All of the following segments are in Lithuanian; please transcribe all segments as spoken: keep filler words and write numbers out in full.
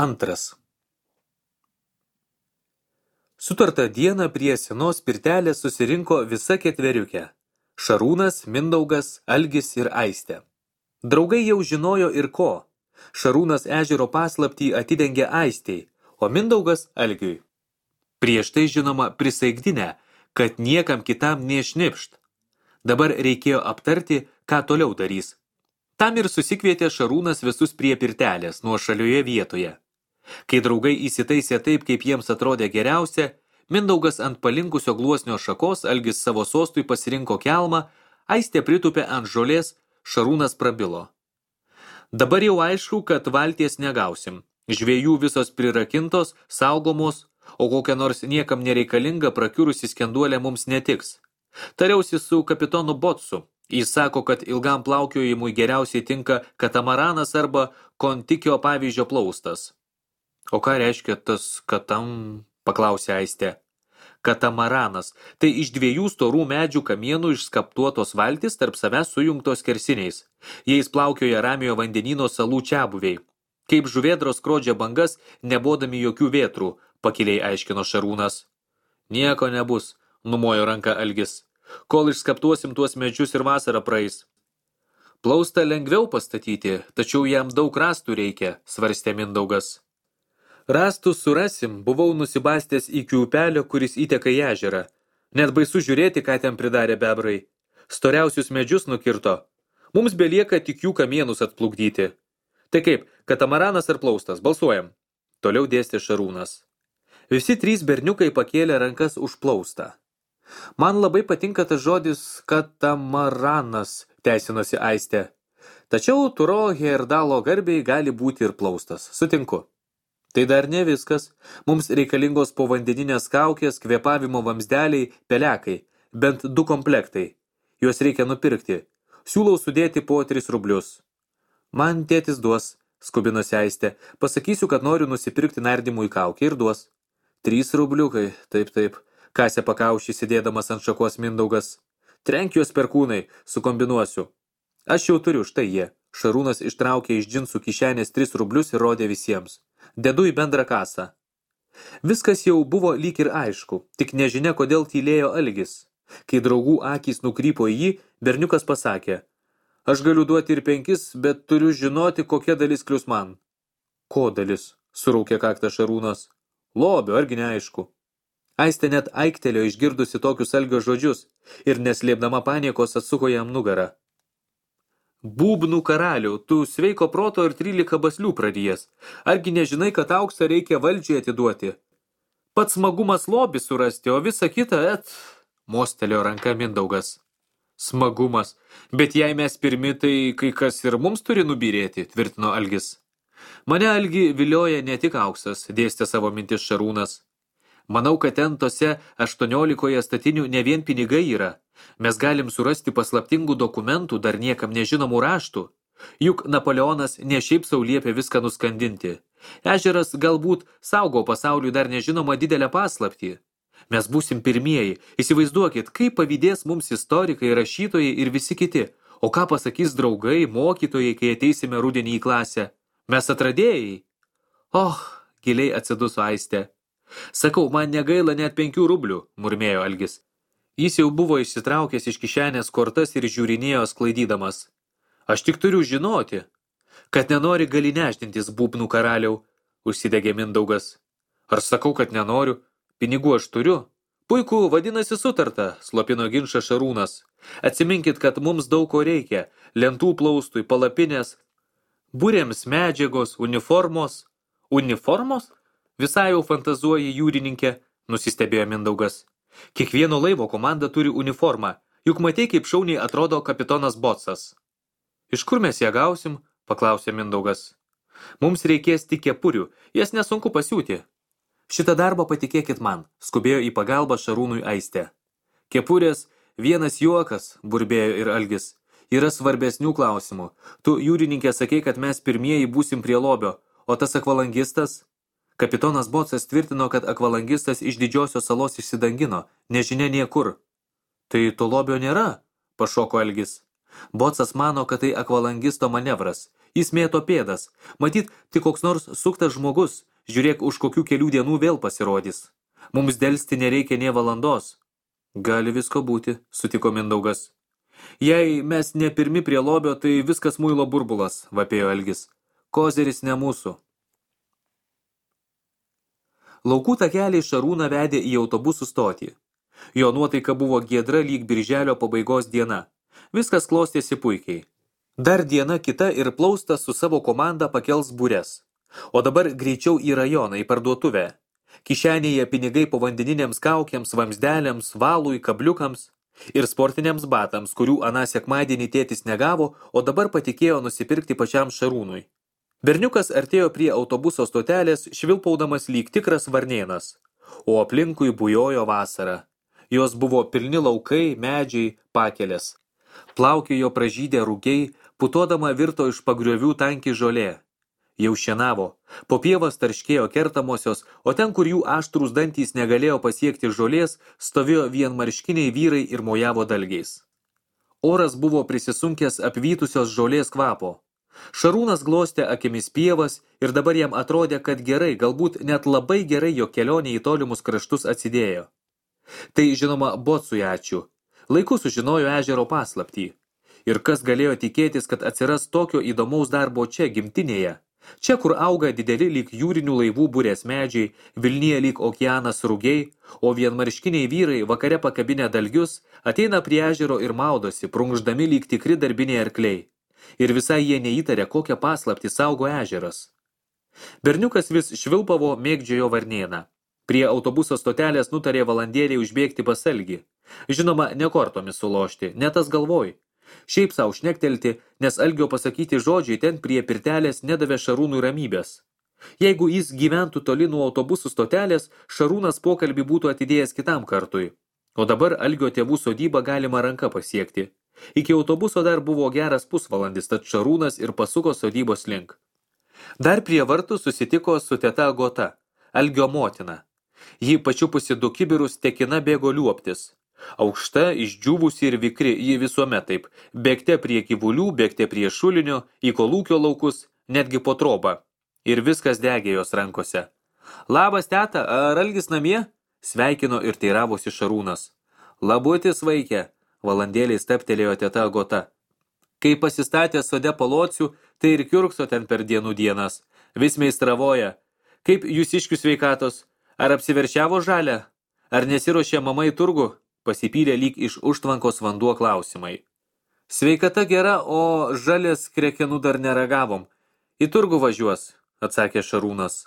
Antras. Sutartą dieną prie senos pirtelės susirinko visa ketveriukė – Šarūnas, Mindaugas, Algis ir Aistė. Draugai jau žinojo ir ko. Šarūnas ežero paslaptį atidengė Aistei, o Mindaugas Algiui. Prieš tai žinoma prisaikdinę, kad niekam kitam neišnipšt. Dabar reikėjo aptarti, ką toliau darys. Tam ir susikvietė Šarūnas visus prie pirtelės nuošalioje vietoje. Kai draugai įsitaisė taip, kaip jiems atrodė geriausia, Mindaugas ant palinkusio gluosnio šakos, Algis savo sostui pasirinko kelmą, Aistė pritupė ant žolės, Šarūnas prabilo. Dabar jau aišku, kad valties negausim. Žvejų visos prirakintos, saugomos, o kokia nors niekam nereikalinga prakiurusi skenduolė mums netiks. Tariausi su kapitonu Botsu. Jis sako, kad ilgam plaukiojimui geriausiai tinka katamaranas arba kontikio pavyzdžio plaustas. O ką reiškia tas katam, paklausė Aistė. Katamaranas – tai iš dviejų storų medžių kamienų išskaptuotos valtis tarp savęs sujungtos kersiniais. Jais plaukioja Ramiojo vandenyno salų čiabuviai. Kaip žuvėdros skrodžia bangas, nebodami jokių vėtrų, pakiliai aiškino Šarūnas. Nieko nebus, numojo ranką Algis. Kol išskaptuosim tuos medžius ir vasarą praeis. Plaustą lengviau pastatyti, tačiau jam daug rąstų reikia, svarstė Mindaugas. Rąstus surasim, buvau nusibastęs iki upelio, kuris įteka į ežerą. Net baisu žiūrėti, ką ten pridarė bebrai. Storiausius medžius nukirto. Mums belieka tik jų kamienus atplukdyti. Tai kaip, katamaranas ar plaustas, balsuojam. Toliau dėstė Šarūnas. Visi trys berniukai pakėlė rankas už plaustą. Man labai patinka tas žodis katamaranas, teisinosi Aistė. Tačiau Turo Herdalo garbiai gali būti ir plaustas. Sutinku. Tai dar ne viskas. Mums reikalingos povandeninės kaukės, kvėpavimo vamzdeliai, pelekai. Bent du komplektai. Juos reikia nupirkti. Siūlau sudėti po tris rublius. Man tėtis duos, skubinosi Aistė. Pasakysiu, kad noriu nusipirkti nardymui kaukę ir duos. Trys rubliukai, taip, taip. Kasė pakaušį sėdėdamas ant šakos Mindaugas. Trenk juos per kūnai, sukombinuosiu. Aš jau turiu, štai jie. Šarūnas ištraukė iš džinsų kišenės tris rublius ir rodė visiems. Dedu į bendrą kasą. Viskas jau buvo lyg ir aišku, tik nežinia, kodėl tylėjo Algis. Kai draugų akys nukrypo į jį, berniukas pasakė. Aš galiu duoti ir penkis, bet turiu žinoti, kokia dalis klius man. Ko dalis? Suraukė kaktą Šarūnas. Lobio, argi neaišku. Aistė net aiktelėjo išgirdusi tokius Algio žodžius ir neslėpdama paniekos atsuko jam nugarą. Būbnų karalių, tu sveiko proto ir trylika baslių pradėjęs. Argi nežinai, kad auksą reikia valdžiai atiduoti? Pats smagumas lobį surasti, o visa kita, et... Mostelėjo ranka Mindaugas. Smagumas. Bet jei mes pirmi, tai kai kas ir mums turi nubyrėti, tvirtino Algis. Mane Algi vilioja ne tik auksas, dėstė savo mintis Šarūnas. Manau, kad ten tose aštuoniolikoje statinių ne vien pinigai yra. Mes galim surasti paslaptingų dokumentų, dar niekam nežinomų raštų. Juk Napoleonas ne šiaip sau liepė viską nuskandinti. Ežeras galbūt saugo pasauliui dar nežinomą didelę paslaptį. Mes būsim pirmieji. Įsivaizduokit, kaip pavydės mums istorikai, rašytojai ir visi kiti. O ką pasakys draugai, mokytojai, kai ateisime rudenį į klasę? Mes atradėjai? Oh, giliai atsiduso Aistė. Sakau, man negaila net penkių rublių, murmėjo Algis. Jis jau buvo išsitraukęs iš kišenės kortas ir žiūrinėjo sklaidydamas. Aš tik turiu žinoti, kad nenori gali nešdintis būbnų karaliau, užsidegė Mindaugas. Ar sakau, kad nenoriu? Pinigų aš turiu. Puiku, vadinasi sutarta, slopino ginčą Šarūnas. Atsiminkit, kad mums daug ko reikia. Lentų plaustui, palapinės, būrėms medžiagos, uniformos. Uniformos? Visai jau fantazuoja jūrininkė, nusistebėjo Mindaugas. Kiekvieno laivo komanda turi uniformą, juk matei, kaip šauniai atrodo kapitonas Botsas. Iš kur mes ją gausim? Paklausė Mindaugas. Mums reikės tik kepurių, jas nesunku pasiūti. Šitą darbą patikėkit man, skubėjo į pagalbą Šarūnui Aistė. Kepurės, vienas juokas, burbėjo ir Algis. Yra svarbesnių klausimų. Tu, jūrininkė, sakei, kad mes pirmieji būsim prie lobio, o tas akvalangistas? Kapitonas Botsas tvirtino, kad akvalangistas iš didžiosios salos išsidangino, nežinia niekur. Tai to lobio nėra, pašoko Algis. Botsas mano, kad tai akvalangisto manevras. Jis mėto pėdas. Matyt, tik koks nors suktas žmogus. Žiūrėk, už kokių kelių dienų vėl pasirodys. Mums delsti nereikia nė valandos. Gali visko būti, sutiko Mindaugas. Jei mes ne pirmi prie lobio, tai viskas muilo burbulas, vapėjo Algis. Kozeris ne mūsų. Laukų takeliai Šarūną vedė į autobusų stotį. Jo nuotaika buvo giedra lyg birželio pabaigos diena. Viskas klostėsi puikiai. Dar diena kita ir Plaustas su savo komanda pakels bures. O dabar greičiau į rajoną, į parduotuvę. Kišenėje pinigai povandeniniams kaukiams, vamsdeliams, valui, kabliukams ir sportiniams batams, kurių aną sekmadienį tėtis negavo, o dabar patikėjo nusipirkti pačiam Šarūnui. Berniukas artėjo prie autobuso stotelės, švilpaudamas lyg tikras varnėnas, o aplinkui bujojo vasara. Jos buvo pilni laukai, medžiai, pakelės. Plaukiojo pražydę rūgiai, putodama virto iš pagriovių tanki žolė. Jau šienavo, po pievas tarškėjo kertamosios, o ten, kur jų aštrūs dantys negalėjo pasiekti žolės, stovėjo vienmarškiniai vyrai ir mojavo dalgiais. Oras buvo prisisunkęs apvytusios žolės kvapo. Šarūnas glostė akimis pievas ir dabar jam atrodė, kad gerai, galbūt net labai gerai jo kelionė į tolimus kraštus atsidėjo. Tai, žinoma, Bocui ačiū. Laiku sužinojo ežero paslaptį. Ir kas galėjo tikėtis, kad atsiras tokio įdomaus darbo čia, gimtinėje. Čia, kur auga dideli lyg jūrinių laivų burės medžiai, Vilnyje lyg okeanas rūgiai, o vienmarškiniai vyrai vakare pakabinę dalgius ateina prie ežero ir maudosi, prunkšdami lyg tikri darbiniai arkliai. Ir visai jie neįtarė, kokią paslaptį saugo ežeras. Berniukas vis švilpavo, mėgdžiojo varnėną. Prie autobuso stotelės nutarė valandėlį užbėgti pas Algį. Žinoma, ne kortomis sulošti, ne tas galvoj. Šiaip sau šnektelti, nes Algio pasakyti žodžiai ten prie pirtelės nedavė Šarūnui ramybės. Jeigu jis gyventų toli nuo autobusų stotelės, Šarūnas pokalbį būtų atidėjęs kitam kartui. O dabar Algio tėvų sodybą galima ranka pasiekti. Iki autobuso dar buvo geras pusvalandis, tad Šarūnas ir pasuko sodybos link. Dar prie vartų susitiko su teta Agota, Algio motina. Ji pačiupusi du kibirus tekina bėgo liuoptis. Aukšta, išdžiūvusi ir vikri, ji visuomet taip. Bėgte prie gyvulių, bėgte prie šulinio, į kolūkio laukus, netgi po trobą. Ir viskas degė jos rankose. Labas, teta, ar Algis namie? Sveikino ir teiravosi Šarūnas. Labutis, vaikė. Valandėliai steptelėjo teta Agota. Kai pasistatė sode palocių, tai ir kiurkso ten per dienų dienas. Vis meistravoja. Kaip jūsiškių sveikatos? Ar apsiveršiavo žalę? Ar nesiruošė mama į turgų? Pasipylė lyg iš užtvankos vanduo klausimai. Sveikata gera, o žalės krekenų dar neragavom. Į turgų važiuos, atsakė Šarūnas.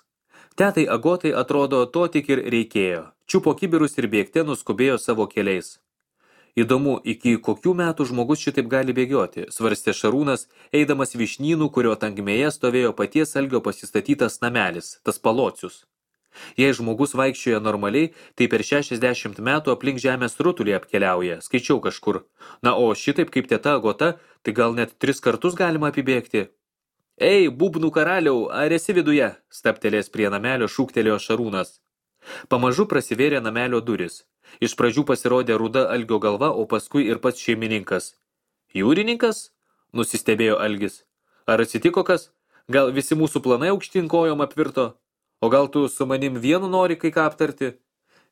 Tetai Agotai atrodo to tik ir reikėjo. Čiupo kibirus ir bėgte nuskubėjo savo keliais. Įdomu, iki kokių metų žmogus šitaip gali bėgioti, svarstė Šarūnas, eidamas Vyšnynų, kurio tankmėje stovėjo paties Algio pasistatytas namelis, tas palocius. Jei žmogus vaikščioja normaliai, tai per šešiasdešimt metų aplink žemės rutulį apkeliauja, skaičiau kažkur. Na, o šitaip kaip teta Agota, tai gal net tris kartus galima apibėgti. Ei, būbnų karaliau, ar esi viduje? Staptelės prie namelio šūktelėjo Šarūnas. Pamažu prasivėrė namelio duris. Iš pradžių pasirodė ruda Algio galva, o paskui ir pats šeimininkas. Jūrininkas? Nusistebėjo Algis. Ar atsitiko kas? Gal visi mūsų planai aukštyn kojom apvirto? O gal tu su manim vienu nori kai ką aptarti?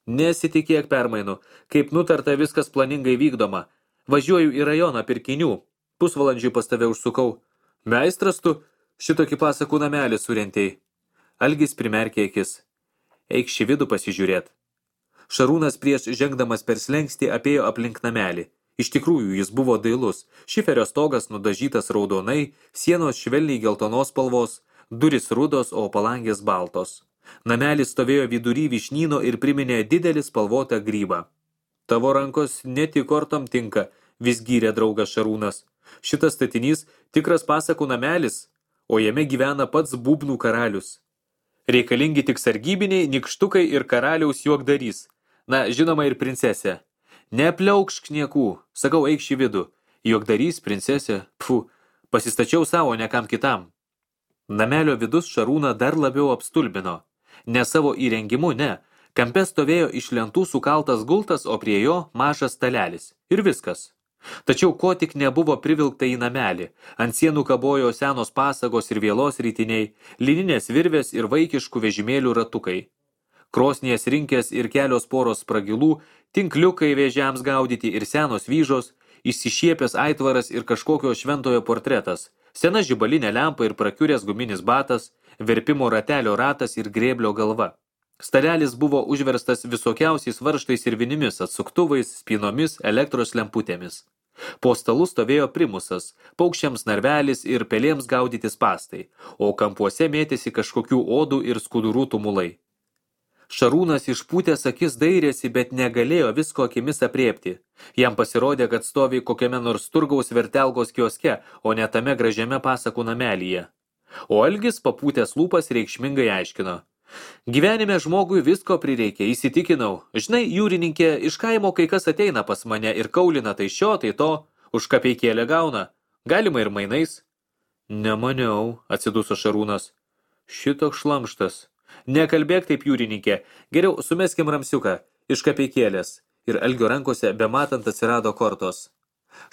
Nesitikėk permainų. Kaip nutarta, viskas planingai vykdoma. Važiuoju į rajoną pirkinių. Pusvalandžiui pas tave užsukau. Meistras tu, šitokį pasakų namelį surentei. Algis primerkė akis. Eik šį vidų pasižiūrėt. Šarūnas prieš žengdamas per slengstį apėjo aplink namelį. Iš tikrųjų, jis buvo dailus. Šiferio stogas nudažytas raudonai, sienos švelniai geltonos spalvos, duris rudos, o palangės baltos. Namelis stovėjo vidury Vyšnyno ir priminė didelį spalvotą grybą. Tavo rankos ne tik kortom tinka, vis gyrė draugas Šarūnas. Šitas statinys tikras pasakų namelis, o jame gyvena pats būbnų karalius. Reikalingi tik sargybiniai, nikštukai ir karaliaus juokdarys. Na, žinoma ir princesė. Nepliaukšk niekų, sakau, eik šį vidų. Juokdarys, princesė, pfu, pasistačiau savo, ne kam kitam. Namelio vidus Šarūną dar labiau apstulbino. Ne savo įrengimu, ne. Kampe stovėjo iš lentų sukaltas gultas, o prie jo mažas stalelis. Ir viskas. Tačiau ko tik nebuvo privilkta į namelį. Ant sienų kabojo senos pasagos ir vėlos rytiniai, lininės virvės ir vaikiškų vežimėlių ratukai. Krosnies rinkės ir kelios poros spragilų, tinkliukai vėžiams gaudyti ir senos vyžos, išsišiepęs aitvaras ir kažkokio šventojo portretas, sena žibalinė lempa ir prakiuręs guminis batas, verpimo ratelio ratas ir grėblio galva. Stalelis buvo užverstas visokiausiais varžtais ir vinimis, atsuktuvais, spynomis, elektros lemputėmis. Po stalu stovėjo primusas, paukščiams narvelis ir pelėms gaudyti spastai, o kampuose mėtėsi kažkokių odų ir skudurų tumulai. Šarūnas išpūtęs akis dairėsi, bet negalėjo visko akimis apriepti. Jam pasirodė, kad stovi kokiame nors turgaus vertelgos kioske, o ne tame gražiame pasakų namelyje. O Algis papūtęs lūpas reikšmingai aiškino. Gyvenime žmogui visko prireikia, įsitikinau. Žinai, jūrininkė, iš kaimo kai kas ateina pas mane ir kaulina tai šio, tai to, už kapeikėlę gauna. Galima ir mainais. Nemaniau, atsiduso Šarūnas. Šitoks šlamštas. Nekalbėk taip, jūrininkė. Geriau sumeskim ramsiuką iš kapeikėlės. Ir Algio rankose bematant atsirado kortos.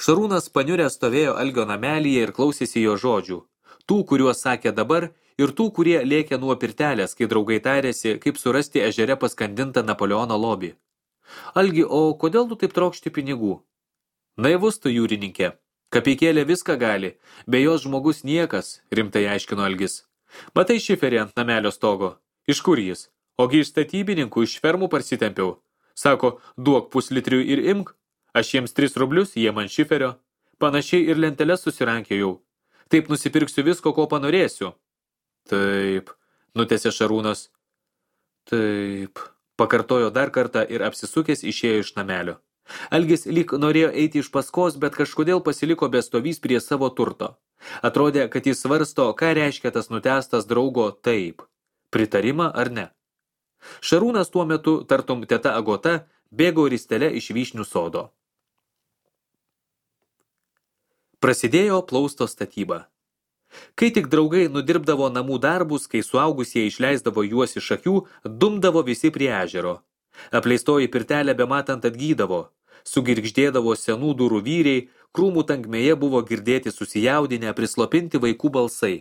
Šarūnas paniuręs stovėjo Algio namelyje ir klausėsi jo žodžių. Tų, kuriuos sakė dabar, ir tų, kurie lėkė nuo pirtelės, kai draugai tarėsi, kaip surasti ežere paskandintą Napoleono lobį. Algi, o kodėl tu taip trokšti pinigų? Naivus tu, jūrininkė. Kapeikėlė viską gali, be jos žmogus niekas, rimtai aiškino Algis. Matai šiferį ant namelio stogo. Iš kur jis? Ogi iš statybininkų iš fermų parsitempiau. Sako, duok puslitrių ir imk. Aš jiems tris rublius, jie man šiferio. Panašiai ir lenteles susirankėjau. Taip nusipirksiu visko, ko panorėsiu. Taip, nutęsė Šarūnas. Taip, pakartojo dar kartą ir apsisukęs išėjo iš namelio. Algis lyg norėjo eiti iš paskos, bet kažkodėl pasiliko bestovys prie savo turto. Atrodė, kad jis svarsto, ką reiškia tas nutęstas draugo taip. Pritarimą ar ne? Šarūnas tuo metu, tartum teta Agota, bėgo ristele iš vyšnių sodo. Prasidėjo plausto statyba. Kai tik draugai nudirbdavo namų darbus, kai suaugusieji išleisdavo juos iš akių, dumdavo visi prie ežero. Apleistoji pirtelė bematant atgydavo, sugirgždėdavo senų durų vyriai, krūmų tankmėje buvo girdėti susijaudinę, prislopinti vaikų balsai.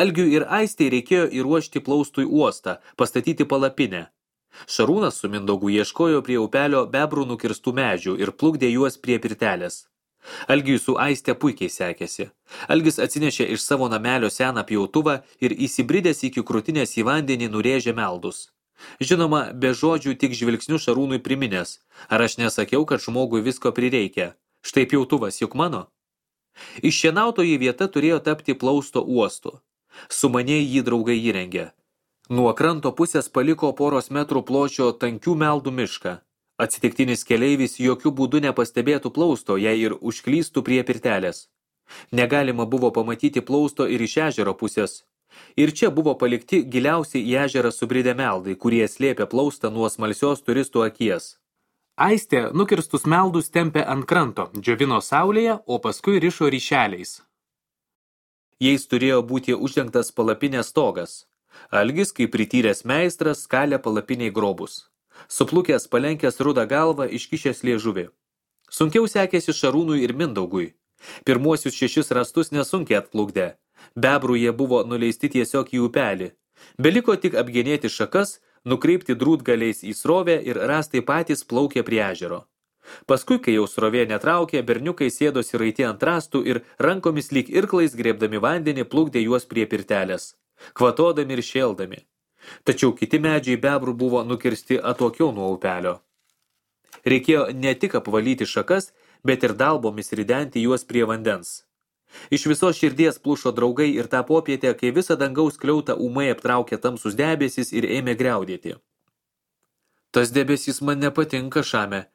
Algiui ir Aistei reikėjo įruošti plaustui uostą, pastatyti palapinę. Šarūnas su Mindaugu ieškojo prie upelio bebrų nukirstų medžių ir plukdė juos prie pirtelės. Algiui su Aiste puikiai sekėsi. Algis atsinešė iš savo namelio seną pjautuvą ir įsibridęs iki krūtinės į vandenį nurėžė meldus. Žinoma, be žodžių tik žvilgsnių Šarūnui priminęs. Ar aš nesakiau, kad žmogui visko prireikia? Štai pjautuvas juk mano. Iššienautoji vieta turėjo tapti plausto uostu. Sumaniai jį draugai įrengė. Nuo kranto pusės paliko poros metrų pločio tankių meldų mišką. Atsitiktinis keleivis jokių būdų nepastebėtų plausto, jei ir užklystų prie pirtelės. Negalima buvo pamatyti plausto ir iš ežero pusės. Ir čia buvo palikti giliausiai į ežerą subridę meldai, kurie slėpė plaustą nuo smalsios turistų akies. Aistė nukirstus meldus tempė ant kranto, džiovino saulėje, o paskui rišo ryšeliais. Jais turėjo būti uždengtas palapinės stogas. Algis, kaip prityręs meistras, skalė palapiniai grobus. Suplukęs palenkęs rudą galvą, iškišęs liežuvį. Sunkiau sekėsi Šarūnui ir Mindaugui. Pirmuosius šešis rastus nesunkiai atplukdė. Bebrų jie buvo nuleisti tiesiog į upelį. Beliko tik apgenėti šakas, nukreipti drūtgaliais į srovę ir rastai patys plaukė prie ežero. Paskui, kai jau srovė netraukė, berniukai sėdosi raiti ant rastų ir rankomis lyg irklais grėbdami vandenį plukdė juos prie pirtelės, kvatodami ir šėldami. Tačiau kiti medžiai bebrų buvo nukirsti atokiau nuo upelio. Reikėjo ne tik apvalyti šakas, bet ir dalbomis ridenti juos prie vandens. Iš visos širdies plušo draugai ir tą popietę, kai visą dangaus kliautą ūmai aptraukė tamsus debesis ir ėmė griaudėti. Tas debesis man nepatinka, Šame,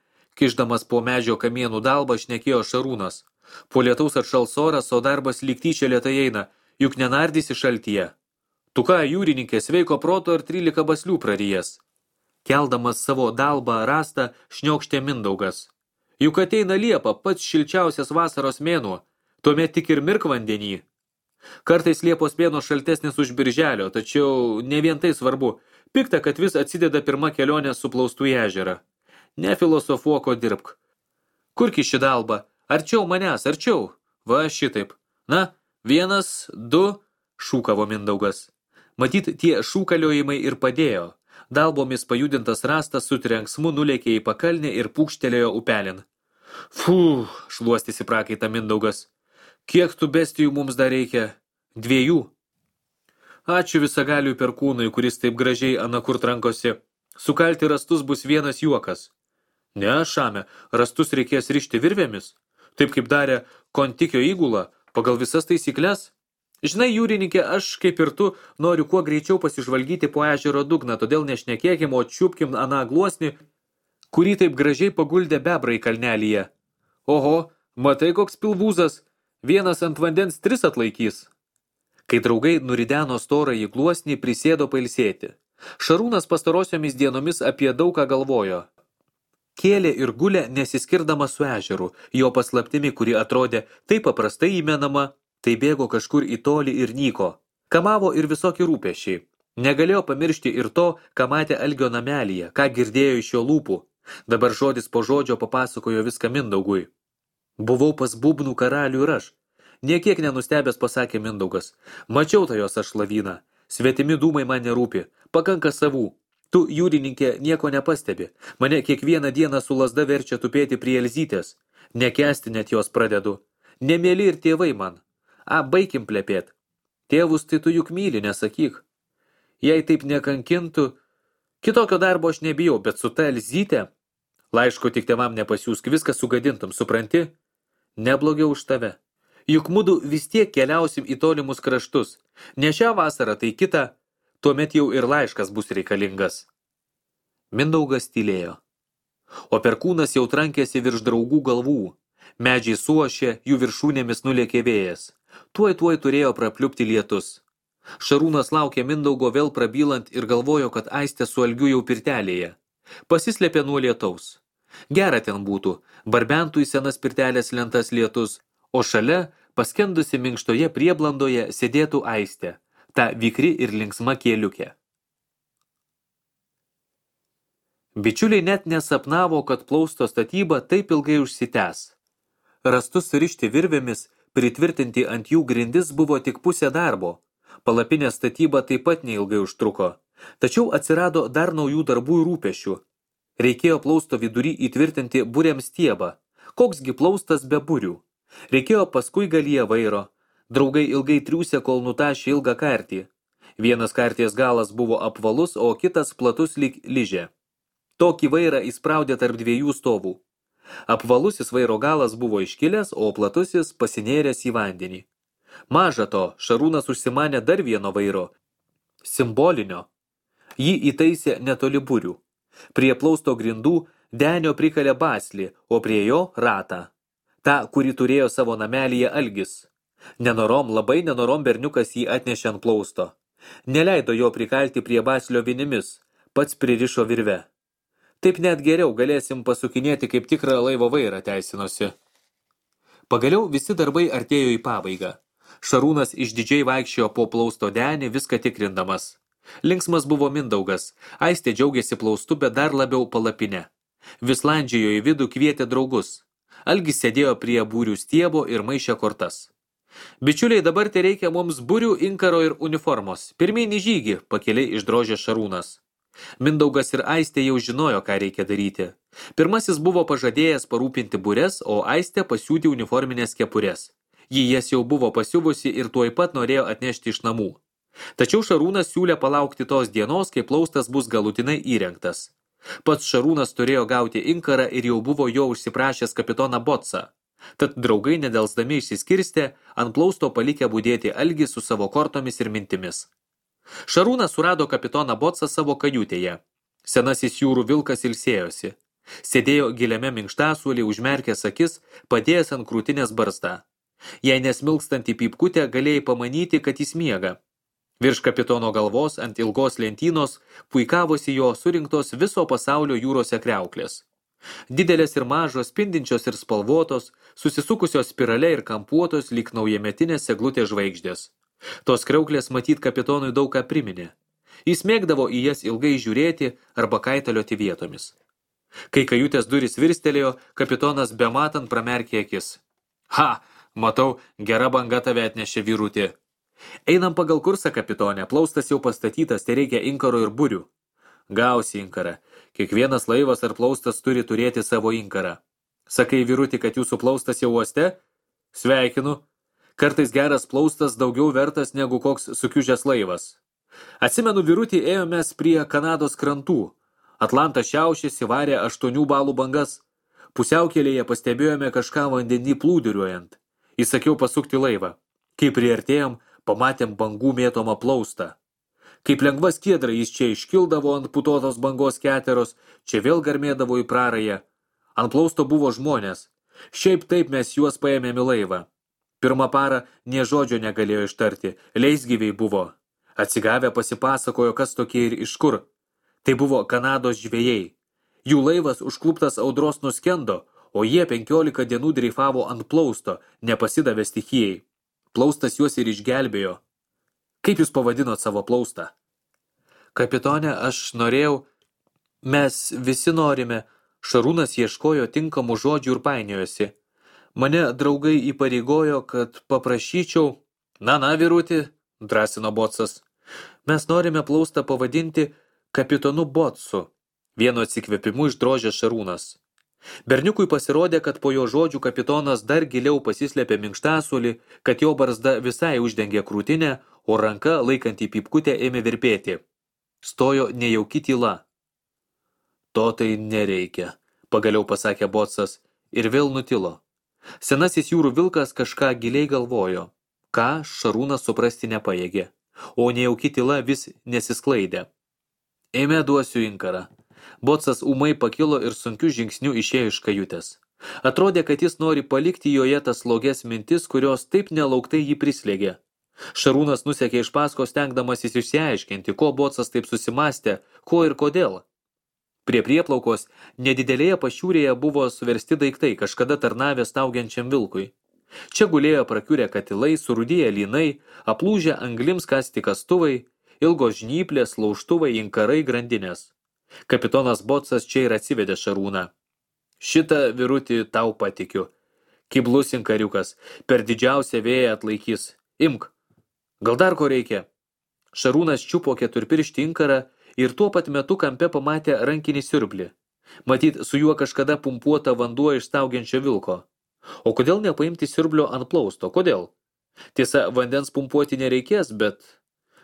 kišdamas po medžio kamienų dalbą šnekėjo Šarūnas. Po lietaus atšals oras, o darbas lyg tyčia lėtai eina, juk nenardysi šaltyje. Tu ką, jūrininkė, sveiko proto ir trylika baslių prarijęs. Keldamas savo dalbą rastą, šniokštė Mindaugas. Juk ateina Liepa, pats šilčiausias vasaros mėnuo, tuomet tik ir mirk vandenį. Kartais Liepos mėnuo šaltesnis už birželio, tačiau ne vien tai svarbu. Pikta, kad vis atsideda pirma kelionė su plaustų į ežerą. Nefilosofuoko dirbk. Kurki ši dalba? Arčiau manęs, arčiau. Va šitaip. Na, vienas, du, šūkavo Mindaugas. Matyt, tie šūkaliojimai ir padėjo. Dalbomis pajudintas rastas su trenksmu nulėkė į pakalnį ir pūkštelėjo upelin. Fū, šluostėsi prakaitą Mindaugas. Kiek tų bestijų mums dar reikia? Dviejų. Ačiū visagaliui perkūnui, kuris taip gražiai anakur trankosi. Sukalti rastus bus vienas juokas. Ne, šame, rastus reikės rišti virvėmis. Taip kaip darė Kontikio įgula, pagal visas taisykles. Žinai, jūrininkė, aš kaip ir tu noriu kuo greičiau pasižvalgyti po ežero dugną, todėl nešnekėkim, o čiupkim aną gluosnį, kurį taip gražiai paguldė bebrai kalnelyje. Oho, matai koks pilvūzas, vienas ant vandens tris atlaikys. Kai draugai nurideno storą į gluosnį, prisėdo pailsėti. Šarūnas pastarosiomis dienomis apie daug ką galvojo. Kėlė ir gulė nesiskirdama su ežeru, jo paslaptimi, kuri atrodė taip paprastai įmenama, tai bėgo kažkur į tolį ir nyko. Kamavo ir visokie rūpešiai. Negalėjo pamiršti ir to, ką matė Algio namelyje, ką girdėjo iš jo lūpų. Dabar žodis po žodžio papasakojo viską Mindaugui. Buvau pas būbnų karalių ir aš. Niekiek nenustebęs pasakė Mindaugas. Mačiau tą jos aš lavyną. Svetimi dūmai man nerūpi. Pakanka savų. Tu, jūrininkė, nieko nepastebi. Mane kiekvieną dieną su lazda verčia tupėti prie Elzytės. Nekęsti net jos pradedu. Nemėly ir tėvai man. A, baikim plepėt. Tėvus tai tu juk myli, nesakyk. Jei taip nekankintų, kitokio darbo aš nebijau, bet su ta Elzytė, laiško tik tėvam nepasiūsk, viską sugadintum, supranti? Neblogiau už tave. Juk mudu vis tiek keliausim į tolimus kraštus. Ne šią vasarą, tai kitą, tuomet jau ir laiškas bus reikalingas. Mindaugas tylėjo. O perkūnas jau trankėsi virš draugų galvų. Medžiai suošė, jų viršūnėmis nulėkė vėjas. Tuoj tuoj turėjo prapliupti lietus. Šarūnas laukė Mindaugo vėl prabylant ir galvojo, kad Aistė su Algiu jau pirtelėje. Pasislėpė nuo lietaus. Gera ten būtų, barbentų į senas pirtelės lentas lietus, o šalia, paskendusi minkštoje prieblandoje, sėdėtų Aistė, ta vikri ir linksma kėliukė. Bičiuliai net nesapnavo, kad plausto statyba taip ilgai užsitęs. Rastus surišti virvėmis, pritvirtinti ant jų grindis buvo tik pusė darbo. Palapinės statyba taip pat neilgai užtruko. Tačiau atsirado dar naujų darbų ir rūpešių. Reikėjo plausto vidury įtvirtinti buriam stiebą. Koksgi plaustas be burių? Reikėjo paskui galyje vairo. Draugai ilgai triūsė, kol nutašė ilgą kartį. Vienas karties galas buvo apvalus, o kitas platus lyg ližė. Tokį vairą įspraudė tarp dviejų stovų. Apvalusis vairo galas buvo iškilęs, o platusis pasinėręs į vandenį. Maža to, Šarūnas užsimanė dar vieno vairo, simbolinio. Jį įtaisė netoli burių. Prie plausto grindų denio prikalė baslį, o prie jo ratą. Ta, kurį turėjo savo namelyje Algis. Nenorom, labai nenorom berniukas jį atnešė ant plausto. Neleido jo prikalti prie baslio vinimis, pats pririšo virve. Taip net geriau galėsim pasukinėti kaip tikrą laivo vairą, teisinosi. Pagaliau visi darbai artėjo į pabaigą. Šarūnas išdidžiai vaikščiojo po plausto denį, viską tikrindamas. Linksmas buvo Mindaugas. Aistė džiaugėsi plaustu, bet dar labiau palapinę. Vis landžiojo į vidų, kvietė draugus. Algis sėdėjo prie būrių stiebo ir maišė kortas. Bičiuliai, dabar tai reikia mums burių, inkaro ir uniformos. Pirmyn į žygį, pakeliai išdrožė Šarūnas. Mindaugas ir Aistė jau žinojo, ką reikia daryti. Pirmasis buvo pažadėjęs parūpinti bures, o Aistė pasiūti uniforminės kepures. Ji jas jau buvo pasiuvusi ir tuoj pat norėjo atnešti iš namų. Tačiau Šarūnas siūlė palaukti tos dienos, kai plaustas bus galutinai įrengtas. Pats Šarūnas turėjo gauti inkarą ir jau buvo jo užsiprašęs kapitoną Botsą. Tad draugai nedelsdami išsiskirstė, ant plausto palikę budėti Algį su savo kortomis ir mintimis. Šarūnas surado kapitoną Botsą savo kajutėje. Senasis jūrų vilkas ilsėjosi. Sėdėjo giliame minkštasuolį, užmerkęs akis, padėjęs ant krūtinės barzdą. Jei nesmilkstant į pypkutę, galėjai pamanyti, kad jis miega. Virš kapitono galvos ant ilgos lentynos puikavosi jo surinktos viso pasaulio jūrose kriauklės. Didelės ir mažos, spindinčios ir spalvotos, susisukusios spirale ir kampuotos lyg naujametinės eglutės žvaigždės. Tos kriauklės matyt kapitonui daug ką priminė. Jis mėgdavo į jas ilgai žiūrėti arba kaitalioti vietomis. Kai kajutės durys virstelėjo, kapitonas bematant pramerkė akis. Ha, matau, gera banga tave atnešė vyrutį. Einam pagal kursą, kapitonė, plaustas jau pastatytas, tai reikia inkaro ir burių. Gausi inkarą. Kiekvienas laivas ar plaustas turi turėti savo inkarą. Sakai, vyrutį, kad jūsų plaustas jau uoste? Sveikinu. Kartais geras plaustas daugiau vertas negu koks sukiužęs laivas. Atsimenu, vyrutį ėjomės prie Kanados krantų. Atlantas šiaušėsi, varė aštuonių balų bangas. Pusiaukelėje pastebėjome kažką vandenį plūduriuojant. Įsakiau pasukti laivą. Kai priartėjom, pamatėm bangų mėtomą plaustą. Kaip lengva skiedra jis čia iškildavo ant putotos bangos keteros, čia vėl garmėdavo į prarają. Ant plausto buvo žmonės. Šiaip taip mes juos paėmėm į laivą. Pirmą parą nė žodžio negalėjo ištarti, leisgyviai buvo. Atsigavę pasipasakojo, kas tokie ir iš kur. Tai buvo Kanados žvejai. Jų laivas užkluptas audros nuskendo, o jie penkiolika dienų dreifavo ant plausto, nepasidavė stichijai. Plaustas juos ir išgelbėjo. Kaip jūs pavadinot savo plaustą? Kapitone, aš norėjau... Mes visi norime. Šarūnas ieškojo tinkamų žodžių ir painiojosi. Mane draugai įpareigojo, kad paprašyčiau... Na, na, vyrutį, drąsino Botsas. Mes norime plaustą pavadinti kapitonu Botsu. Vienu atsikvėpimu išdrožė Šarūnas. Berniukui pasirodė, kad po jo žodžių kapitonas dar giliau pasislėpė minkštasuolį, kad jo barzda visai uždengė krūtinę, o ranka, laikant į pypkutę, ėmė virpėti. Stojo nejauki tyla. To tai nereikia, pagaliau pasakė Botsas ir vėl nutilo. Senasis jūrų vilkas kažką giliai galvojo, ką Šarūnas suprasti nepajėgė, o nejauki tyla vis nesisklaidė. Eime duosiu inkarą. Botsas ūmai pakilo ir sunkiu žingsniu išėjo iš kajutės. Atrodė, kad jis nori palikti joje tas slogias mintis, kurios taip nelauktai jį prislėgė. Šarūnas nusekė iš paskos, stengdamasis išsiaiškinti, ko Botsas taip susimastė, ko ir kodėl. Prie prieplaukos nedidelėje pašiūrėje buvo suversti daiktai, kažkada tarnavę staugiančiam vilkui. Čia gulėjo prakiurę katilai, surudėję lynai, aplūžę anglims kasti kastuvai, ilgos žnyplės, laužtuvai, inkarai, grandinės. Kapitonas Botsas čia ir atsivedė Šarūną. Šitą vyrutį tau patikiu. Kiblus inkariukas, per didžiausią vėją atlaikys. Imk. Gal dar ko reikia? Šarūnas čiupo keturpirštį inkarą ir tuo pat metu kampe pamatė rankinį siurblį. Matyt, su juo kažkada pumpuota vanduo iš staugiančio vilko. O kodėl nepaimti siurblio ant plausto? Kodėl? Tiesa, vandens pumpuoti nereikės, bet...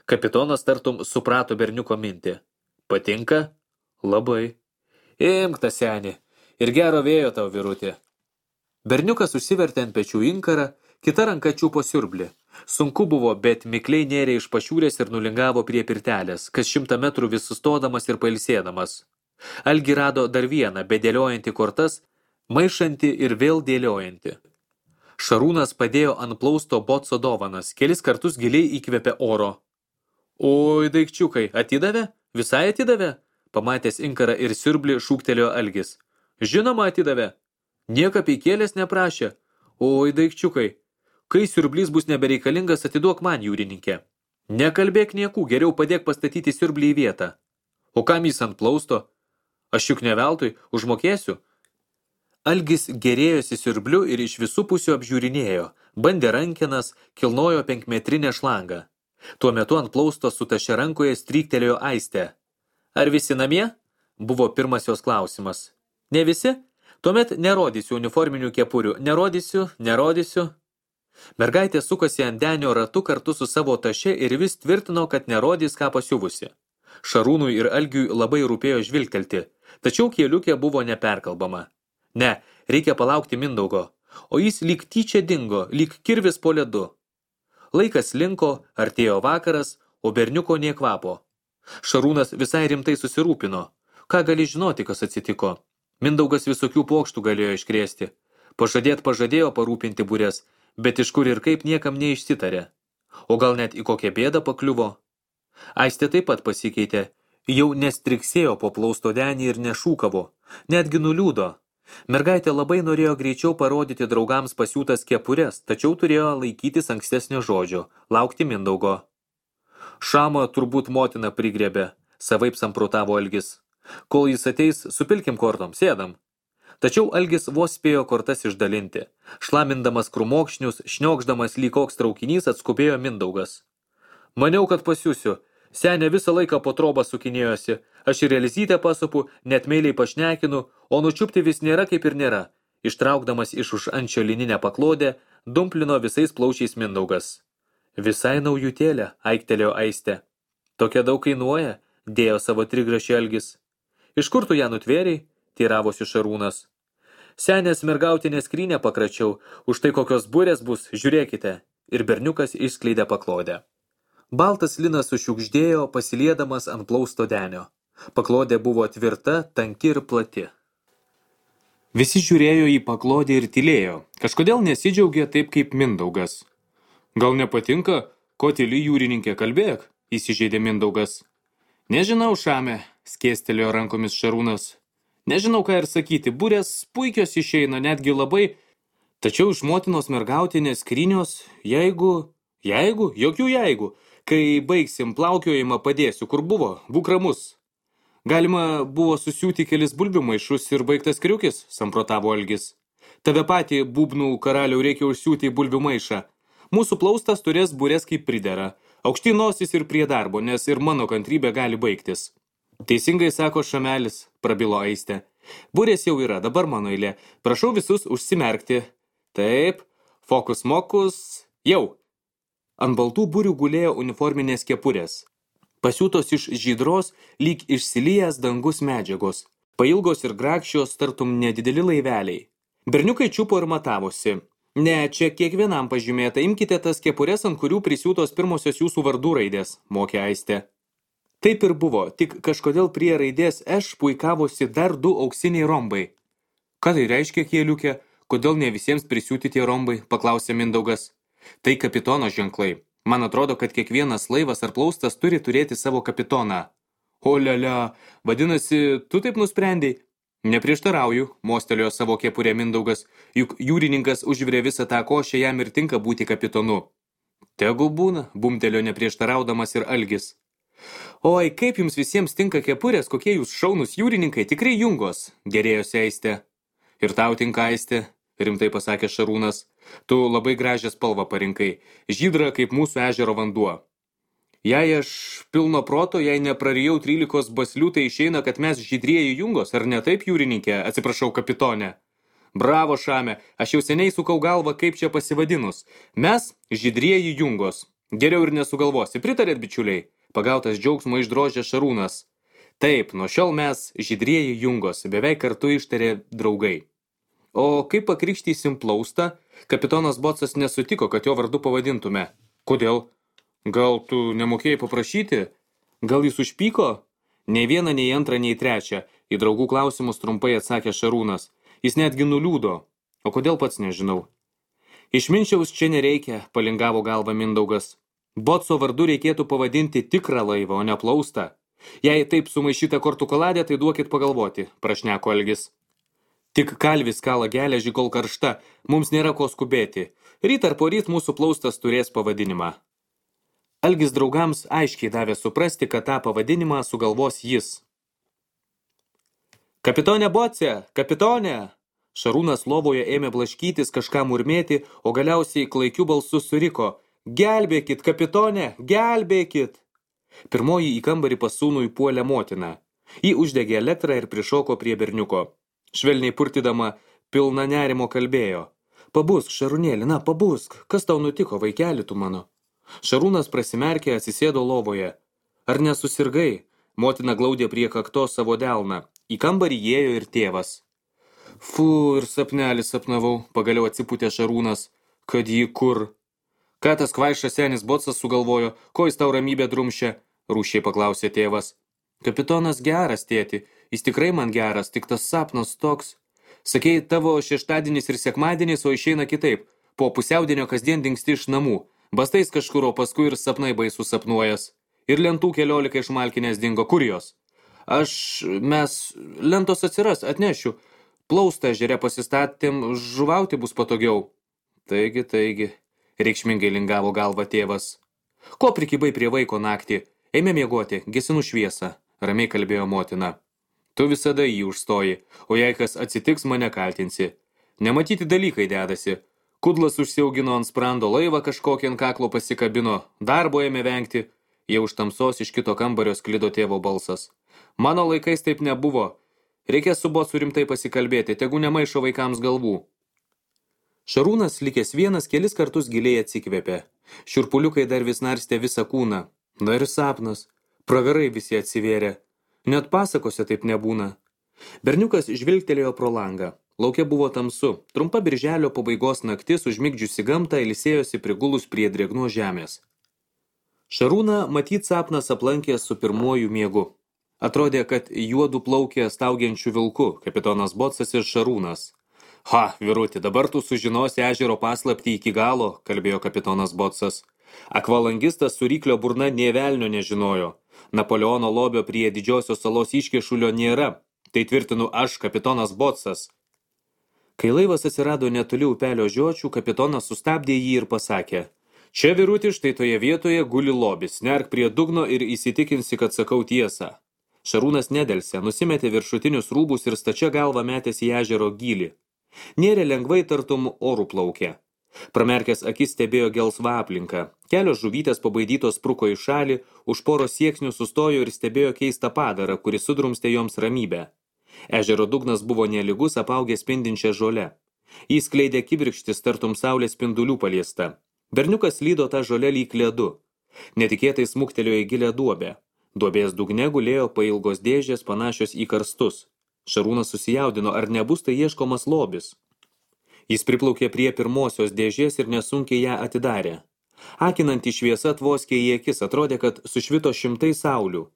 Kapitonas tartum suprato berniuko mintį. Patinka? Labai. Imk tą senį. Ir gero vėjo tau, vyrutė. Berniukas užsivertė ant pečių inkarą, kita ranka čiupo siurblį. Sunku buvo, bet mikliai nėrė iš pašiūrės ir nulingavo prie pirtelės, kas šimtą metrų vis sustodamas ir pailsėdamas. Algi rado dar vieną, bedėliojantį kortas, maišanti ir vėl dėliojanti. Šarūnas padėjo ant plausto Botso dovanas, kelis kartus giliai įkvėpė oro. Oi, daikčiukai, atidavė? Visai atidavė? Pamatęs inkarą ir siurblį šūktelėjo Algis. Žinoma, atidavė. Nieka peikėlės neprašė. Oi, daikčiukai, kai siurblys bus nebereikalingas, atiduok man, jūrininkė. Nekalbėk niekų, geriau padėk pastatyti siurblį į vietą. O kam jis ant plausto? Aš juk ne veltui, užmokėsiu. Algis gerėjosi siurbliu ir iš visų pusių apžiūrinėjo, bandė rankenas, kilnojo penkmetrinę šlangą. Tuo metu ant plausto su taše rankoje stryktelėjo Aistė. Ar visi namie? Buvo pirmas jos klausimas. Ne visi? Tuomet nerodysiu uniforminių kepurių. Nerodysiu, nerodysiu. Mergaitė sukosi ant denio ratu kartu su savo taše ir vis tvirtino, kad nerodys, ką pasiuvusi. Šarūnui ir Algiui labai rūpėjo žvilgtelti, tačiau kieliukė buvo neperkalbama. Ne, reikia palaukti Mindaugo, o jis lyg tyčia dingo, lyg kirvis po ledu. Laikas linko, artėjo vakaras, o berniuko nė kvapo. Šarūnas visai rimtai susirūpino. Ką gali žinoti, kas atsitiko? Mindaugas visokių pokštų galėjo iškrėsti. Pažadėt pažadėjo parūpinti būrės, bet iš kur ir kaip niekam neišsitarė. O gal net į kokią bėdą pakliuvo? Aistė taip pat pasikeitė. Jau nestriksėjo po plausto denį ir nešūkavo. Netgi nuliūdo. Mergaitė labai norėjo greičiau parodyti draugams pasiūtas kepures, tačiau turėjo laikytis ankstesnio žodžio, laukti Mindaugo. Šamą turbūt motina prigriebė, savaip samprotavo Algis. Kol jis ateis, supilkim kortom, sėdam. Tačiau Algis vos spėjo kortas išdalinti. Šlamindamas krūmokšnius, šniokšdamas lyg koks traukinys, atskubėjo Mindaugas. Maniau, kad pasiūsiu. Senė visą laiką po trobą sukinėjosi. Aš ir Elizytę pasupu, net meiliai pašnekinu, o nučiupti vis nėra kaip ir nėra. Ištraukdamas iš už ančio lininę paklodę, dumplino visais plaučiais Mindaugas. Visai naujutėlė, aiktelėjo Aistė. Tokia daug kainuoja, dėjo savo trigrašį Algis. Iš kur tu ją nutvėrei? Teiravosi Šarūnas. Senės mergautinę skrynę pakračiau, už tai kokios burės bus, žiūrėkite. Ir berniukas išskleidė paklodę. Baltas linas sušiukždėjo, pasiliedamas ant plausto denio. Paklodė buvo tvirta, tanki ir plati. Visi žiūrėjo į paklodę ir tylėjo. Kažkodėl nesidžiaugė taip kaip Mindaugas. Gal nepatinka, ko tyli jūrininkė, kalbėk, įsižeidė Mindaugas. Nežinau, Šame, skėstelėjo rankomis Šarūnas. Nežinau, ką ir sakyti, burės puikios išeina, netgi labai, tačiau iš motinos mergautinės skrynios, jeigu, jeigu, jokių jeigu, kai baigsim plaukiojimą padėsiu, kur buvo, būk ramus. Galima buvo susiūti kelis bulbių maišus ir baigtas kriukis, samprotavo Algis. Tave patį būbnų karaliau reikia užsiūti į bulbių maišą. Mūsų plaustas turės burės kaip pridera, aukšti nosis ir prie darbo, nes ir mano kantrybė gali baigtis. Teisingai sako Šamelis, prabilo Aistė. Burės jau yra, dabar mano eilė. Prašau visus užsimerkti. Taip, fokus mokus, jau. Ant baltų burių gulėjo uniforminės kepurės. Pasiūtos iš žydros, lyg išsilijęs dangus medžiagos. Pailgos ir grakščios, tartum nedideli laiveliai. Berniukai čiupo ir matavosi. Ne, čia kiekvienam pažymėta, imkite tas kepurės, ant kurių prisiūtos pirmosios jūsų vardų raidės, mokė Aistė. Taip ir buvo, tik kažkodėl prie raidės Š puikavosi dar du auksiniai rombai. Ką tai reiškia, kieliukė? Kodėl ne visiems prisiūti tie rombai? Paklausė Mindaugas. Tai kapitono ženklai. Man atrodo, kad kiekvienas laivas ar plaustas turi turėti savo kapitoną. O lialia, vadinasi, tu taip nusprendei? Neprieštarauju, mostelėjo savo kepurę Mindaugas, juk jūrininkas užvirė visą tą košę, jam ir tinka būti kapitonu. Tegu būna, bumtelėjo neprieštaraudamas ir Algis. Oi, kaip jums visiems tinka kepurės, kokie jūs šaunus jūrininkai, tikrai jungos, gerėjosi Aistė. Ir tau tinka, Aistė, rimtai pasakė Šarūnas. Tu labai gražią spalvą parinkai, žydra kaip mūsų ežero vanduo. Jei aš pilno proto, jei neprarijau trylikos baslių, tai išeina, kad mes žydrieji jungos, ar ne taip, jūrininkė, atsiprašau, kapitone. Bravo, Šame, aš jau seniai sukau galvą, kaip čia pasivadinus. Mes žydrieji jungos. Geriau ir nesugalvosi, pritarėt, bičiuliai? Pagautas džiaugsmo išdrožė Šarūnas. Taip, nuo šiol mes žydrieji jungos, beveik kartu ištarė draugai. O kaip pakrikštysim plaustą, kapitonas Bocas nesutiko, kad jo vardu pavadintume. Kodėl? Gal tu nemokėjai paprašyti? Gal jis užpyko? Nei vieną, nei antrą, nei trečią. Į draugų klausimus trumpai atsakė Šarūnas. Jis netgi nuliūdo. O kodėl pats nežinau? Išminčiaus čia nereikia, palingavo galvą Mindaugas. Boco vardu reikėtų pavadinti tikrą laivą, o ne plaustą. Jei taip sumaišyta kortų koladė, tai duokit pagalvoti, prašneko Algis. Tik kalvis kala geležį, kol karšta, mums nėra ko skubėti. Ryt ar poryt mūsų plaustas turės pavadinimą. Algis draugams aiškiai davė suprasti, kad tą pavadinimą sugalvos jis. Kapitone Boce, kapitone! Šarūnas lovoje ėmė blaškytis, kažką murmėti, o galiausiai klaikiu balsu suriko. Gelbėkit, kapitone, gelbėkit! Pirmoji į kambarį pas sūnų įpuolė motina. Ji uždegė elektrą ir prišoko prie berniuko. Švelniai purtydama, pilna nerimo kalbėjo. Pabusk, Šarūnėli, na, pabusk, kas tau nutiko, vaikeli tu mano? Šarūnas prasimerkė, atsisėdo lovoje. Ar nesusirgai? Motina glaudė prie kaktos savo delną. Į kambarį įėjo ir tėvas. Fu, ir sapnelį sapnavau, pagaliau atsipūtė Šarūnas. Kad jį kur? Ką tas kvaišas senis Bocas sugalvojo, ko jis tau ramybę drumšė? Rūšiai paklausė tėvas. Kapitonas geras, tėti, jis tikrai man geras, tik tas sapnas toks. Sakei, tavo šeštadienis ir sekmadienis, o išeina kitaip. Po pusiaudienio kasdien dingsti iš namų. Bastais kažkur, o paskui ir sapnai baisų sapnuojas. Ir lentų keliolika iš malkinės dingo. Kur jos? Aš, mes, lentos atsiras, atnešiu. Plaustą ežere pasistatėm, žuvauti bus patogiau. Taigi, taigi. Reikšmingai lingavo galva tėvas. Ko prikibai prie vaiko naktį? Eime miegoti, gesinu šviesą, ramiai kalbėjo motina. Tu visada jį užstoji, o jei kas atsitiks, mane kaltinsi. Nematyti dalykai dedasi. Kudlas užsiaugino ant sprando laivą kažkokį ant kaklo pasikabino, darbo ėmė vengti. Jau už tamsos iš kito kambario sklido tėvo balsas. Mano laikais taip nebuvo. Reikės su bocu rimtai pasikalbėti, tegu nemaišo vaikams galvų. Šarūnas, likęs vienas, kelis kartus giliai atsikvėpė. Šiurpuliukai dar vis narstė visą kūną. Na ir sapnas. Pragarai visi atsivėrė. Net pasakose taip nebūna. Berniukas žvilgtelėjo pro langą. Lauke buvo tamsu. Trumpa birželio pabaigos naktis užmigdžiusi gamtą ilsėjosi prigulus prie drėgnos žemės. Šarūną matyt sapnas aplankė su pirmuoju miegu. Atrodė, kad juodu plaukė staugiančių vilku, kapitonas Bocas ir Šarūnas. Ha, vyruti, dabar tu sužinosi ežero paslaptį iki galo, kalbėjo kapitonas Bocas. Akvalangistas su ryklio burna nė velnio nežinojo. Napoleono lobio prie didžiosios salos iškešulio nėra. Tai tvirtinu aš, kapitonas Bocas. Kai laivas atsirado netoli upelio žiočių, kapitonas sustabdė jį ir pasakė: Čia, vyruti, štai toje vietoje guli lobis, nerk prie dugno ir įsitikinsi, kad sakau tiesą. Šarūnas nedelsė, nusimetė viršutinius rūbus ir stačia galva metėsi į ežero gylį. Nėrė lengvai tartum orų plaukė. Pramerkęs akis stebėjo gelsvą aplinką. Kelios žuvytės pabaidytos spruko į šalį, už poros sieksnių sustojo ir stebėjo keistą padarą, kuris sudrumstė joms ramybę. Ežero dugnas buvo nelygus, apaugęs spindinčią žolę. Jis skleidė kibirkštis tartum saulės spindulių paliesta. Berniukas lydo tą žolę lyg ledu. Netikėtai smuktelėjo į gilią duobę. Duobės dugne gulėjo pailgos dėžės panašios į karstus. Šarūnas susijaudino, ar nebus tai ieškomas lobis. Jis priplaukė prie pirmosios dėžės ir nesunkiai ją atidarė. Akinanti šviesa tvoskė į akis, atrodė, kad sušvito šimtai saulių.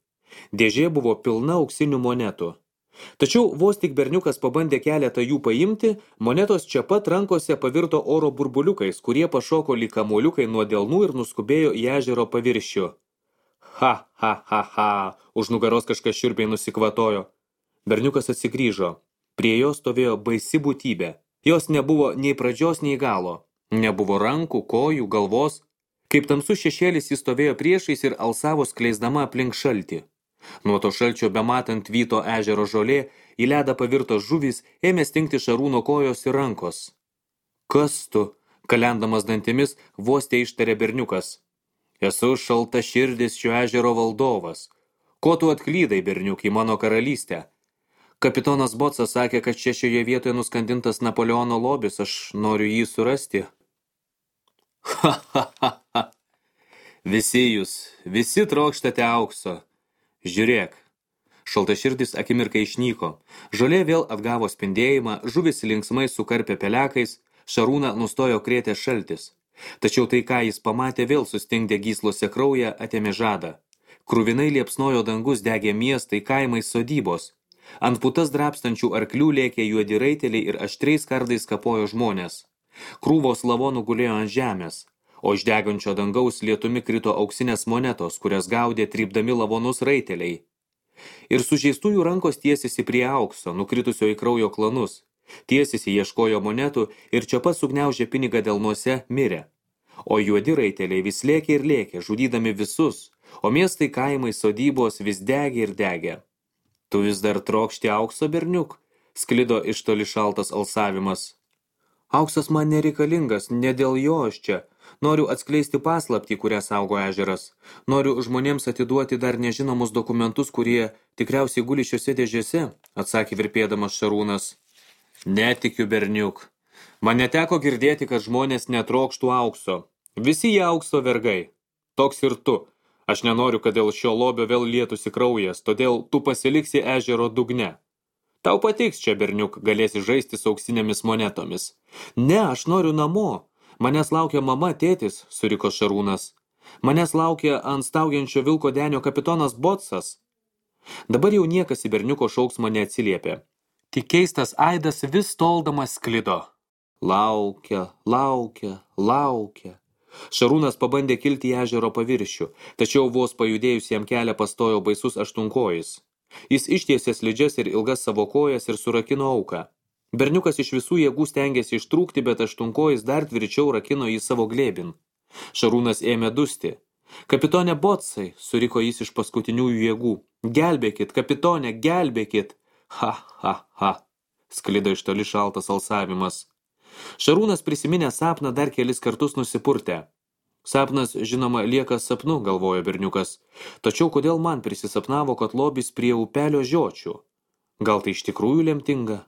Dėžė buvo pilna auksinių monetų. Tačiau vos tik berniukas pabandė keletą jų paimti, monetos čia pat rankose pavirto oro burbuliukais, kurie pašoko lyg kamuoliukai nuo delnų ir nuskubėjo į ežero paviršių. Ha, ha, ha, ha, už nugaros kažkas šiurpiai nusikvatojo. Berniukas atsigrįžo. Prie jo stovėjo baisi būtybė. Jos nebuvo nei pradžios, nei galo. Nebuvo rankų, kojų, galvos. Kaip tamsus šešėlis jis stovėjo priešais ir alsavo skleisdama aplink šaltį. Nuo to šalčio bematant vyto ežero žolė, į ledą pavirtos žuvys ėmė stingti Šarūno kojos ir rankos. Kas tu? Kalendamas dantimis, vos te ištarė berniukas. Esu šalta širdis šio ežero valdovas. Ko tu atklydai, berniuk, į mano karalystę? Kapitonas Bocas sakė, kad čia šioje vietoje nuskandintas Napoleono lobis, aš noriu jį surasti. Ha, ha, ha, ha. Visi jūs, visi trokštate aukso. Žiūrėk. Šaltaširdis akimirką išnyko. Žolė vėl atgavo spindėjimą, žuvis linksmai sukarpė pelekais, Šarūną nustojo krėtė šaltis. Tačiau tai, ką jis pamatė, vėl sustingdė gyslose kraują, atėmė žadą. Kruvinai liepsnojo dangus, degė miestai, kaimai, sodybos. Ant putas drapstančių arklių lėkė juodi raiteliai ir aštriais kardais kapojo žmonės. Krūvos lavonų gulėjo ant žemės, o iš degančio dangaus lietumi krito auksinės monetos, kurias gaudė trypdami lavonus raiteliai. Ir sužeistųjų rankos tiesėsi prie aukso, nukritusio į kraujo klanus. Tiesėsi ieškojo monetų ir čia pat sugniaužė pinigą delnuose mirė. O juodi raiteliai vis lėkė ir lėkė, žudydami visus, o miestai, kaimai, sodybos vis degė ir degė. Tu vis dar trokšti aukso, berniuk? Sklido iš toli šaltas alsavimas. Auksas man nereikalingas, ne dėl jo aš čia. Noriu atskleisti paslaptį, kurią saugo ežeras. Noriu žmonėms atiduoti dar nežinomus dokumentus, kurie tikriausiai guli šiose dėžėse, atsakė virpėdamas Šarūnas. Netikiu, berniuk. Man neteko girdėti, kad žmonės netrokštų aukso. Visi jie aukso vergai. Toks ir tu. Aš nenoriu, kad dėl šio lobio vėl lietųsi kraujas, todėl tu pasiliksi ežero dugne. Tau patiks čia, berniuk, galėsi žaisti su auksinėmis monetomis. Ne, aš noriu namo. Manęs laukia mama, tėtis, suriko Šarūnas. Manęs laukia ant staugiančio vilko denio kapitonas Bocas. Dabar jau niekas į berniuko šauksmą neatsiliepė. Tik keistas aidas vis toldamas sklido. Laukia, laukia, laukia. Šarūnas pabandė kilti į ežero paviršių, tačiau vos pajudėjus jam kelią pastojo baisus aštunkojis. Jis ištiesė slidžias ir ilgas savo kojas ir surakino auką. Berniukas iš visų jėgų stengėsi ištrūkti, bet aštunkojis dar tvirčiau rakino į savo glėbin. Šarūnas ėmė dusti. Kapitone Bocai, suriko jis iš paskutiniųjų jėgų. Gelbėkit, kapitone, gelbėkit. Ha, ha, ha. Sklido iš toli šaltas alsavimas. Šarūnas prisiminė sapną dar kelis kartus nusipurtė. Sapnas, žinoma, lieka sapnu, galvojo berniukas. Tačiau kodėl man prisisapnavo, kad lobis prie upelio žiočių? Gal tai iš tikrųjų lemtinga?